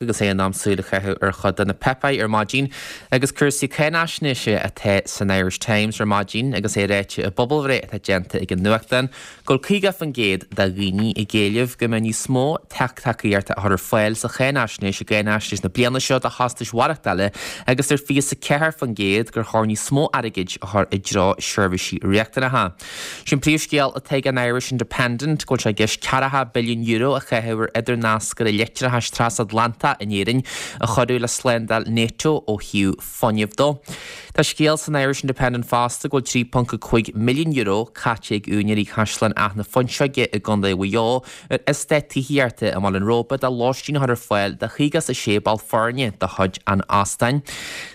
Agus é in am súil a chaitheamh ar chuid de na páipéir ar maidin agus cúrsaí cáinaisnéise atá san Irish Times ar maidin agus é ráite i bpobalbhreith atá déanta ag an nuachtán go bhfuil 50% de dhaoine ag éileamh go mbeadh níos mó tacaíochta á chur ar fáil sa cháinaisnéis i gcáinaisnéis na bliana seo do chostais mhaireachtála agus deir 24% gur chóir níos mó airgid a chur i dtreo seirbhísí riachtanacha. Sin príomhscéal atá ag an Irish Independent, go bhfuil sé i gceist €40 billiún a chaitheamh ar idirnascaire leictreachais trasatlantach in Éirinn a chuirfeadh le slándáil Nato ó thaobh fuinnimh dó. Tá scéal san Irish Independent fosta go bhfuil €3.5 milliún caite ag úinéirí Chaisleán Áth na Fuinseoige i gContae Mhaigh Eo ar eastát tithíochta i mBaile an Róba do lóistín a chur ar fáil do 56 ball foirne de chuid an óstáin.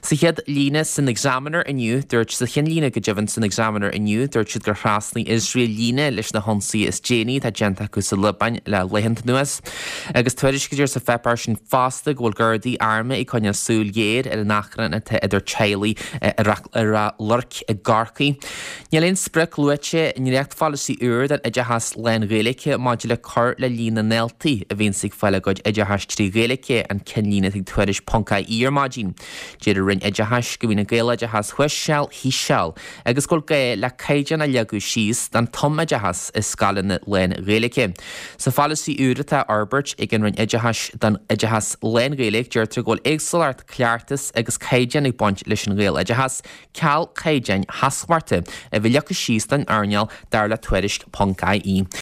Sa chéad líne san Examiner inniu, dúirt Sa chinnlíne go deimhin san Examiner inniu, dúirt siad gur thrasnaigh Iosrael líne leis na hionsaithe is déanaí atá déanta acu sa Liobáin le laethanta anuas. Agus tuairiscítear sa pháipéar sin fosta go bhfuil Gardaí armtha ag coinneáil súil ghéar ar an achrann atá idir teaghlaigh i Ráth Luirc i gCorcaigh. Níl aon sprioc luaite i ndréachtpholasaí úr don oideachas lán-Ghaeilge maidir le cur le líon na ndaltaí a bhíonns ag fáil a gcuid oideachais trí Ghaeilge, an cinnlíne atá ag Tuairisc ponc ie ar maidin. Deir an Roinn Oideachais go mbíonn an Gaeloideachas thuas seal thíos seal agus go bhfuil gá le caighdeán a leagadh síos don tumoideachas i scoileanna lán-Ghaeilge. Sa pholasaí úr atá á fhorbairt ag an Roinn Oideachais don oideachas lán-Ghaeilge deirtear go bhfuil éagsúlacht, cleachtas agus caighdeán ag baint leis an Ghaeloideachas, ceal caighdeáin sheasmhachta a bheith leagtha síos don earnáil dar le Tuairisc ponc ie.